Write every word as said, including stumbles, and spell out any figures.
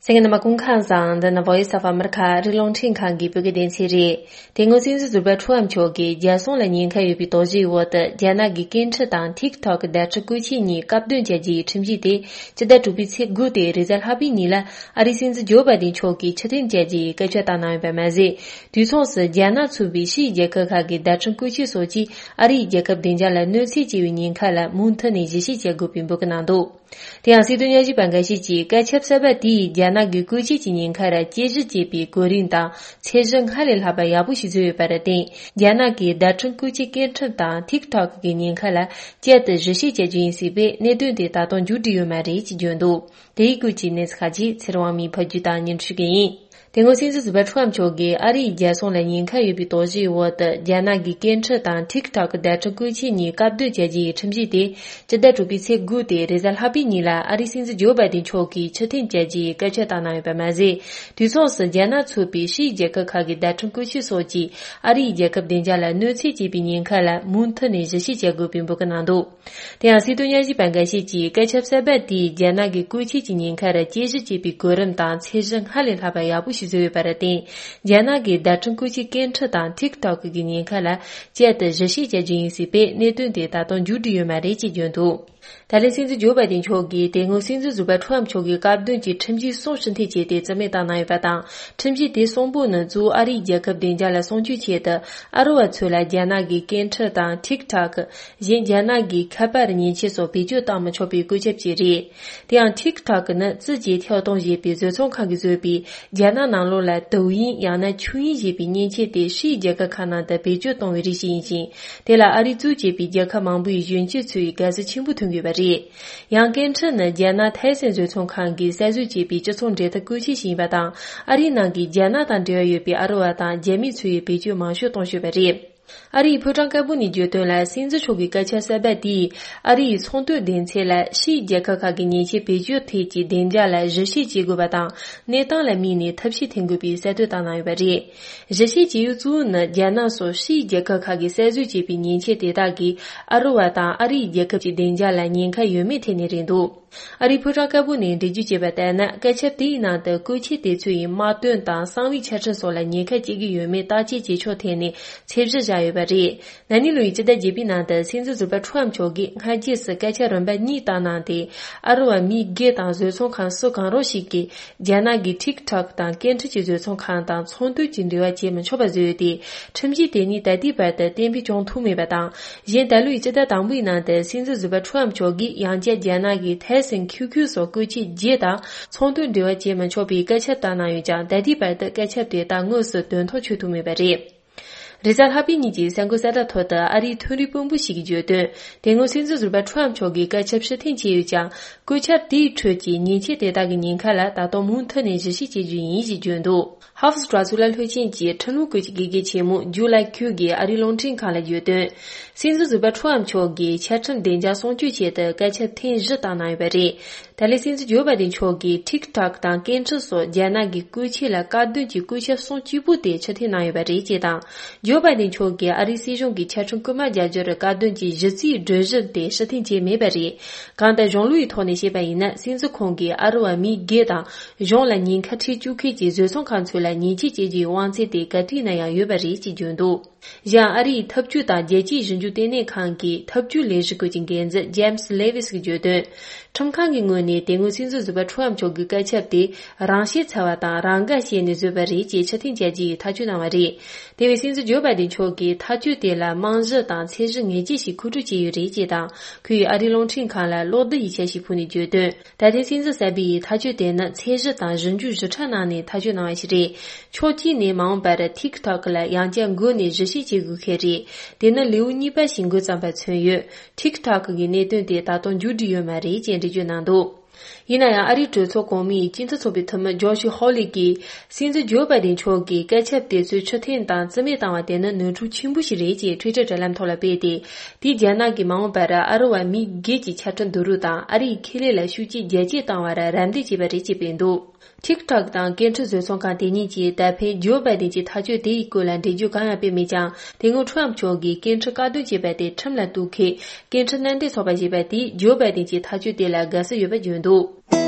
གསན་མཁན་རྣམ་པ་སྐུ་ཁམས་བཟང་། འདི་ནི་Voice of America ཨ་རིའི་རླུང་འཕྲིན་ཁང་གི་བོད་སྐད་སྡེ་ཚན་རེད། དེ་སྔོན་སྲིད་འཛིན་ཟུར་པ་ཁྲུའམ་མཆོག་གིས་རྒྱལ་སྲུང་ལ་ཉེན་ཁ་ཡོད་པའི་དོགས་གཞིའི་འོག་ཏུ་རྒྱ་ནག་གི་སྐད་འཕྲིན་དང་TikTok བརྡ་འཕྲིན་བཀོལ་ཆས་གཉིས་བཀག་སྡོམ་བྱ་རྒྱུའི་ཁྲིམས་གཞི་དེ་སྤྱི་ཟླ་དྲུག་པའི་ཚེས་དགུ་སྟེ་རེས་གཟའ་ལྷག་པའི་ཉིན་ལ་ཨ་རིའི་སྲིད་འཛིན་ཇོ་བྷའི་ཌེན་མཆོག་གིས་ཕྱིར་འཐེན་བྱ་རྒྱུའི་སྐད་ཆ་བཏང་གནང་ཡོད་པ་མ་ཟད། དུས་མཚུངས་སུ་རྒྱ་ནག་ཚུད་པའི་ཕྱིའི་རྒྱལ་ཁབ་ཁག་གི་བརྡ་འཕྲིན་བཀོལ་ཆས་སོགས་ཀྱིས་ཨ་རིའི་རྒྱལ་ཁབ་བདེ་འཇགས་ལ་གནོད་འཚེ་བྱས་པའི་ཉེན་ཁ་ལ་མུ་མཐུད་ནས་ཞིབ་བཤེར་བྱེད་དགོས་པའི་འབོད་སྐུལ་གནང་འདུག་དེ་ཡང་སྲིད་དོན་ཉམས་ཞིབ་པ་འགའ་ཤས་ཀྱིས་བཀའ་ཁྱབ་གསར་པ་དེས་རྒྱ་ནག་གི་བཀོལ་སྤྱོད་ཀྱི་ཉེན་ཁར་དཔྱད་ཞིབ་བྱེད་པའི་གོ་རིམ་དང་ཚད་གཞི་སྔར་ལས་ལྷག་པ་ཡག་པོ་ཞིག་བཟོས་ཡོད་པར་བརྟེན། རྒྱ་ནག་གིས་བརྡ་འཕྲིན་བཀོལ་སྤྱོད་སྐད་འཕྲིན་དང་TikTok གི་ཉེན་ཁ་ལ་བསྐྱར་དུ་ཞིབ་བཤེར་བྱ་རྒྱུ་ཡིན་སྲིད་པས། གནད་དོན་དེ་ད་དུང་མཇུག་སྒྲིལ་ཡོད་མ་རེད་ཅེས་བརྗོད་འདུག་དེའི་སྐོར་གྱི་གནས་ཚུལ་ཁག་ཅིག་ཚེ་རིང་དབང་མོས་ཕབ་སྒྱུར་དང་སྙན་སྒྲོན་ཞུ་གི་ཡིན། དེ་སྔོན་སྲིད་འཛིན་ཟུར་པ་ཁྲུའམ་མཆོག་གིས་ཨ་རིའི་རྒྱལ་སྲུང་ལ་ཉེན་ཁ་ཡོད་པའི་དོགས་གཞིའི་འོག་ཏུ་རྒྱ་ནག་གི་སྐད་འཕྲིན་དང་TikTok བརྡ་འཕྲིན་བཀོལ་ཆས་གཉིས་བཀག་སྡོམ་བྱ་རྒྱུའི་ཁྲིམས་གཞི་དེ་སྤྱི་ཟླ་དྲུག་པའི་ཚེས་དགུ་སྟེ་རེས་གཟའ་ལྷག་པའི་ཉིན་ལ་ཨ་རིའི་སྲིད་འཛིན་ཇོ་བྷའི་ཌེན་མཆོག་གིས་ཕྱིར་འཐེན་བྱ་རྒྱུའི་སྐད་ཆ་བཏང་གནང་ཡོད་པ་མ་ཟད། དུས་མཚུངས་སུ་རྒྱ་ནག་ཚུད་པའི་ཕྱིའི་རྒྱལ་ཁབ་ཁག་གི་བརྡ་འཕྲིན་བཀོལ་ཆས་སོགས་ཀྱིས་ཨ་རིའི་རྒྱལ་ཁབ་བདེ་འཇགས་ལ་གནོད་འཚེ་བྱས་པའི་ཉེན་ཁ་ལ་མུ་མཐུད་ནས་ཞིབ་བཤེར་བྱ་དགོས་པའི་འབོད་སྐུལ་གནང་འདུག་དེ་ཡང་སྲིད་དོན་ཉམས་ཞིབ་པ་འགའ་ཤས་ཀྱིས་སྐད་ཆ་གསར་པ་དེས་རྒྱ་ནག་གི་བཀོལ་ཆས་ཀྱི་ཉེན་ཁར་དཔྱད་ཞིབ་བྱེད་པའི་གོ་རིམ་དང་ཚད་གཞི་སྔར་ལས་ལྷག་པ་ཡག་པོ་ཞིག་བཟོས་ཡོད་པར་བརྟེན། རྒྱ་ནག་གིས་བརྡ་འཕྲིན་བཀོལ་ཆས་སྐད་འཕྲིན་དང་TikTok གི་ཉེན་ཁ་ལ་བསྐྱར་དུ་ཞིབ་བཤེར་བྱ་རྒྱུ་ཡིན་སྲིད་པས། གནད་དོན་དེ་ད་དུང་མཇུག་སྒྲིལ་ཡོད་མ་རེད་ཅེས་བརྗོད་འདུག་ད་ལན་སྲིད་འཛིན་ཇོ་བྷའི་ཌེན་མཆོག་གིས་དེ་སྔོན་སྲིད་འཛིན་ཟུར་པ་ཁྲུའམ་མཆོག་གིས་བཀག་སྡོམ་གྱི་ཁྲིམས་གཞི་གསུམ་ཕྱིར་འཐེན་བྱས་ཏེ་རྩིས་མེད་བཏང་གནང་ཡོད་པ་དང་། ཁྲིམས་གཞི་དེ་གསུམ་པོ་ནི་གཙོ་བོ་ཨ་རིའི་རྒྱལ་ཁབ་བདེ་འཇགས་ལ་སྲུང་སྐྱོབ་ཆེད་དུ་ཨ་རི་བ་ཚོ་ལ་རྒྱ་ནག་གི་སྐད་འཕྲིན་དང་TikTok གཞན་རྒྱ་ནག་གི་ཁ་པར་མཉེན་ཆས་སོགས་བེད་སྤྱོད་གཏང་མི་ཆོག་པའི་བཀོད་ཁྱབ་བྱས་རེད། དེ་ཡང་TikTok ནི་ཙི་ཅེ་ཐའོ་ཏུང་ཞེས་པའི་བཟོ་ཚོང་ཁང་གིས་བཟོས་པའི་རྒྱ་ནག་ནང་ལོགས་ལ་དུ་ཡིན་ཡང་ན་ཆུ་ཡིན་ཞེས་པའི་མཉེན་ཆས་དེ་ཕྱིའི་རྒྱལ་ཁབ་ཁག་ནང་དུ་བེད་སྤྱོད་གཏོང་བའི་རིགས་ཤིག་ཡིན་ཞིང་། དེ་ལ་ཨ་རི་གཙོས་བྱས་པའི་རྒྱལ་ཁབ་མང་པོའི་གཞོན་སྐྱེས་ཚོས་དགའ་བསུ་ཆེན་པོ་ཐོན་གྱི་ཡོད་པ་རེད། ཡང་སྐད་འཕྲིན་ནི་རྒྱ་ནག་ཐའེ་སན་བཟོ་ཚོང་ཁང་གིས་གསར་བཟོས་བྱས་པའི་སྤྱི་ཚོགས་འབྲེལ་མཐུད་བཀོལ་ཆས་ཤིག་ཡིན་པ་དང་། ཨ་རིའི་ནང་གི་རྒྱ་ནག་དང་འབྲེལ་བ་ཡོད་པའི་ཨ་རི་བ་དང་རྒྱ་མི་ཚོས་བེད་སྤྱོད་མང་ཤོས་གཏོང་བཞིན་པ་རེད། ཨ་རིའི་ཕོ་བྲང་དཀར་པོ་ནས་བརྗོད་དོན་ལ། སྲིད་འཛིན་མཆོག་གི་སྐད་ཆ་གསར་པ་དེས་ཨ་རིའི་ཚོང་དོན་སྡེ་ཚན་ལ་ཕྱིའི་རྒྱལ་ཁབ་ཁག་གི་མཉེན་ཆས་བེད་སྤྱོད་ཐད་ཀྱི་བདེ་འཇགས་ལ་ཞིབ་བཤེར་བྱེད་དགོས་པ་དང་། གནས་སྟངས་ལ་དམིགས་ནས་ཐབས་ཤེས་འཐེན་དགོས་པའི་གསལ་སྟོན་བཏང་གནང་ཡོད་པ་རེད། ཞིབ་བཤེར་བྱེད་ཡུལ་གཙོ་བོ་ནི་རྒྱ་ནག་སོགས་ཕྱིའི་རྒྱལ་ཁབ་ཁག་གིས་གསར་བཟོས་བྱས་པའི་མཉེན་ཆས་དེ་དག་གིས་ཨ་རི་བ་དང་ཨ་རིའི་རྒྱལ་ཁབ་ཀྱི་བདེ་འཇགས་ལ་ཉེན་ཁ་ཡོད་མེད་ཐད་ནས་རེད་འདུག་ཨ་རིའི་ཕོ་བྲང་དཀར་པོ་ནས་འགྲེལ་བརྗོད་བྱས་པ་ལྟར་ན། སྐད་ཆ་དེའི་ནང་དུ་བཀོལ་ཆས་དེ་ཚོ་ཡི་དམག་དོན་དང་གསང་བའི་ཆ་འཕྲིན་སོགས་ལ་ཉེན་ཁ་སྐྱེལ་གྱི་ཡོད་མེད་བརྟག་དཔྱད་བྱེད་ཕྱོགས་ཐད་ནས་ཚད་གཞི་བཞག་ཡོད་པ་རེད། ན་ནིང་ལོའི་སྤྱི་ཟླ་བརྒྱད་པའི་ནང་དུ་སྲིད་འཛིན་ཟུར་པ་ཁྲུའམ་མཆོག་གིས་སྔ་རྗེས་སུ་སྐད་ཆ་རིམ་པ་གཉིས་བཏང་གནང་སྟེ། ཨ་རི་བ་མི་སྒེར་དང་བཟོ་ཚོང་ཁང་སུ་གང་རུང་ཞིག་གིས་རྒྱ་ནག་གི་TikTok དང་སྐད་འཕྲིན་གྱི་བཟོ་ཚོང་ཁང་དང་ཚོང་དོན་གྱི་འབྲེལ་བ་བྱེད་མི་ཆོག་པ་བཟོས་ཏེ། ཁྲིམས་གཞི་དེ་ཉིད་ད་ལྟའི་བར་དུ་གཏན་འབེབས་བྱུང་ཐུབ་མེད་པ་དང་། གཞན་ད་ལོའི་སྤྱི་ཟླ་དང་པོའི་ནང་དུ་སྲིད་འཛིན་ཟུར་པ་ཁྲུའམ་མཆོག་གིས་ཡང་བསྐྱར་རྒྱ་ནག་གི་ཐའེ་སན་ཁྱུ་ཁྱུ་སོགས་བཀོལ་ཆས་བརྒྱད་དང་ཚོང་དོན་འབྲེལ་བ་བྱེད་མི་ཆོག་པའི་བཀའ་ཁྱབ་བཏང་གནང་ཡོད་ཀྱང་། ད་ལྟའི་བར་དུ་བཀའ་ཁྱབ་དེ་དག་དངོས་སུ་དོན་ཐོག་འཁྱོལ་ཐུབ་མེད་པ་རེད། རེས་གཟའ་ལྷག་པའི་ཉིན་གྱི་གསར་འགོད་གསལ་བསྒྲགས་ཐོག་ཏུ་ཨ་རིའི་འཕྲིན་ལས་དཔོན་པོ་ཞིག་གིས་བརྗོད་དོན། དེ་སྔོན་སྲིད་འཛིན་ཟུར་པ་ཁྲུའམ་མཆོག་གིས་བཀའ་ཁྱབ་ཕྱིར་འཐེན་བྱས་ཡོད་ཀྱང་། བཀོད་ཁྱབ་དེའི་ཁྲོད་ཀྱི་མཉེན་ཆས་དེ་དག་གི་ཉེན་ཁ་ལ་ད་དུང་མུ་མཐུད་ནས་ཞིབ་བཤེར་བྱེད་རྒྱུ་ཡིན་ཞེས་བརྗོད་འདུག་ཧ་ཧྥ་དྲ་ཚིགས་ལ་ལྷོད་ཆེན་གྱི་ཁྲིམས་ལུགས་སྐོར་གྱི་དགེ་རྒན་ཆེན་མོ་ཇུ་ལའི་ཁུའུ་གིས་ཨ་རིའི་རླུང་འཕྲིན་ཁང་ལ་བརྗོད་དོན། སྲིད་འཛིན་ཟུར་པ་ཁྲུའམ་མཆོག་གིས་ཆ་འཕྲིན་བདེ་འཇགས་སྲུང་སྐྱོབ་ཆེད་དུ་བཀའ་ཁྱབ་ཐེངས་བཞི་བཏང་གནང་ཡོད་པ་རེད། ད་ལན་སྲིད་འཛིན་ཇོ་བྷའི་ཌེན་མཆོག་གིས་ཐིག་ཐོག་དང་སྐད་འཕྲིན་སོགས་རྒྱ་ནག་གི་བཀོལ་ཆས་ལ་བཀག་སྡོམ་གྱི་བཀོད་ཁྱབ་གསུམ་གཅིག་པུ་དེ་ཕྱིར་འཐེན་གནང་ཡོད་པ་རེད་ཅེས་དང་། ཇོ་བྷའི་ཌེན་མཆོག་གིས་ཨ་རིའི་སྲིད་གཞུང་གིས་ཆ་འཕྲིན་རྐུན་མ་རྒྱག་རྒྱུར་བཀག་སྡོམ་གྱི་གཞི་རྩའི་སྒྲིག་གཞི་དེ་ཕྱིར་འཐེན་བྱས་མེད་པ་རེད། གང་ལྟར་གཞུང་ལུགས་ཀྱི་ཐོག་ནས་བཤད་པ་ཡིན་ན། སྲིད་འཛིན་ཁོང་གིས་ཨ་རི་བ་མི་སྒེར་དང་གཞུང་ལ་ཉེན་ཁ་འཕྲད་བཅུག་མཁན་གྱི་བཟོ་ཚོང་ཁང་ཚོ་ལ་ཉེས་ཆད་གཅོད་རྒྱུའི་དབང་ཚད་དེ་ག་དུས་ན་ཡང་ཡོད་པ་རེད་ཅེས་བརྗོད་འདུག་གཞན། ཨ་རིའི་འཐབ་ཇུས་དང་རྒྱལ་སྤྱིའི་ཞིབ་འཇུག་ལྟེ་གནས་ཁང་གི་འཐབ་ཇུས་ལས་གཞི་ཁུལ་གྱི་འགན་འཛིན་ཇེམ་སི་ལེ་ཝིས་ཀྱིས་བརྗོད་དོན། ཁྲིམས་ཁང་གི་ངོས་ནས་དེ་སྔོན་སྲིད་འཛིན་ཟུར་པ་ཁྲོམ་མཆོག་གི་བཀའ་ཁྱབ་དེ་རང་ཤེས་འཚལ་བ་དང་རང་དགའ་བྱས་ནས་བཟོས་པ་རེད་ཅེས་ཕྱིར་འཐེན་བྱ་རྒྱུའི་ཐག་གཅོད་གནང་བ་རེད། དེ་བས་སྲིད་འཛིན་ཇོ་བྷའི་ཌེན་མཆོག་གིས་ཐག་གཅོད་དེ་ལ་རྨང་གཞི་དང་ཚད་གཞི་ངེས་ཅན་ཞིག་མཁོ་སྤྲོད་བྱས་ཡོད་རེད་ཅེས་དང་། ཁོས་ཨ་རིའི་རླུང་འཕྲིན་ཁང་ལ་གློག་རྡུལ་གྱི་འཆར་གཞི་ཕུལ་ནས་བརྗོད་དོན། ད་ཐེངས་སྲིད་འཛིན་གསར་པའི་ཐག་གཅོད་དེ་ནི་ཚད་གཞི་དང་གཞི་འགྱུར་ཞིབ་ཕྲ་གནང་ནས་ཐག་གཅོད་གནང་བ་ཞིག་རེད། ཕྱོགས་གཅིག་ནས་མ་འོངས་པར་ཐིག་ཐོག་ལ་ཡང་བསྐྱར་འགོ་ནས་ཞིབ་བཤེར་བྱེད་དགོས་ཀྱི་རེད། དེ་ནི་ལེའུ་གཉིས་པ་ཞིག་འགོ་བརྩམས་པ་མཚོན་ཡོད། ཐིག་ཐོག་གི་གནད་དོན་དེ་ད་དུང་མཇུག་སྒྲིལ་ཡོད་མ་རེད་ཅེས་འགྲེལ་བརྗོད་གནང་འདུག་ཡིན་ན་ཡང་། ཨ་རིའི་གྲོས་ཚོགས་གོང་མའི་སྤྱི་མཐུན་ཚོགས་པའི་འཐུས་མི་ཇོ་ཤི་ཧོ་ལི་གིས། སྲིད་འཛིན་ཇོ་བྷའི་ཌེན་མཆོག་གིས་བཀའ་ཁྱབ་དེ་ཚོ་ཕྱིར་འཐེན་དང་རྩིས་མེད་བཏང་བ་དེ་ནི་ནོར་འཁྲུལ་ཆེན་པོ་ཞིག་རེད་ཅེས་ཊུའི་ཊར་དྲ་ལམ་ཐོག་ལ་སྤེལ་ཏེ། དེས་རྒྱ་ནག་གིས་མ་འོངས་པར་ཨ་རི་བ་མི་སྒེར་གྱི་ཆ་འཕྲིན་བསྡུ་རུབ་དང་ཨ་རིའི་ཁེ་ལས་ལ་ཤུགས་རྐྱེན་རྒྱ་སྐྱེད་བཏང་བར་རམ་འདེགས་བྱས་པ་རེད་ཅེས་སྤེལ་འདུག་ཐིག་ཐོག་དང་སྐད་འཕྲིན་བཟོ་ཚོང་ཁང་དེ་གཉིས་ཀྱིས་ད་ཕན་ཇོ་བྷའི་ཌེན་གྱི་ཐག་གཅོད་དེའི་སྐོར་ལ་འགྲེལ་བརྗོད་གང་ཡང་སྤེལ་མེད་ཀྱང་། དེ་སྔོན་ཁྲོམ་མཆོག་གིས་སྐད་འཕྲིན་བཀག་སྡོམ་བྱས་པ་དེ་ཁྲིམས་ལ་གཏུག་མཁན་སྐད་འཕྲིན་མནའ་འབྲེལ་ཚོགས་པ་ཞེས་པ་དེས་ཇོ་བྷའི་ཌེན་གྱི་ཐག་གཅོད་དེ་ལ་དགའ་བསུ་ཡོད་པ་བརྗོད་འདུག